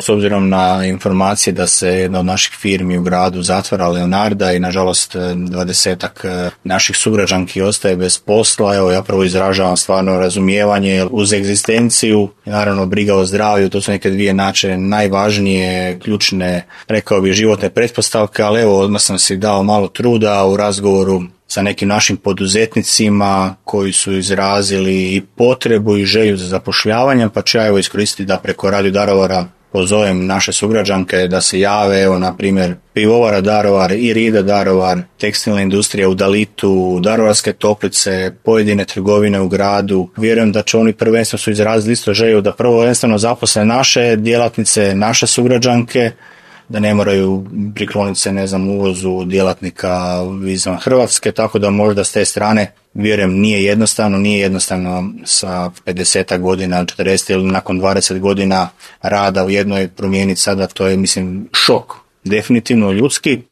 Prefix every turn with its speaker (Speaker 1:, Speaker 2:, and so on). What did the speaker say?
Speaker 1: s obzirom na informacije da se jedna od naših firmi u gradu zatvara, Leonarda, i nažalost 20-ak naših sugrađanki ostaje bez posla. Evo, ja prvo izražavam stvarno razumijevanje uz egzistenciju i naravno briga o zdravlju. To su neke dvije najvažnije, ključne, rekao bih, životne pretpostavke, ali evo, odmah sam si dao malo truda u razgovoru sa nekim našim poduzetnicima koji su izrazili i potrebu i želju za zapošljavanjem, pa ću ja evo iskoristiti da preko Radio Daruvara pozovem naše sugrađanke da se jave, evo na primjer Pivovara Daruvar, Irida Daruvar, tekstilna industrija u Dalitu, Daruvarske toplice, pojedine trgovine u gradu. Vjerujem da će oni prvenstveno su izrazili isto želju da prvenstveno zaposle naše djelatnice, naše sugrađanke, da ne moraju prikloniti se, uvozu djelatnika izvan Hrvatske, tako da možda s te strane, vjerujem, nije jednostavno sa 50 godina, 40 ili nakon 20 godina rada u jednoj promijeniti sada, to je, mislim, šok. Definitivno ljudski,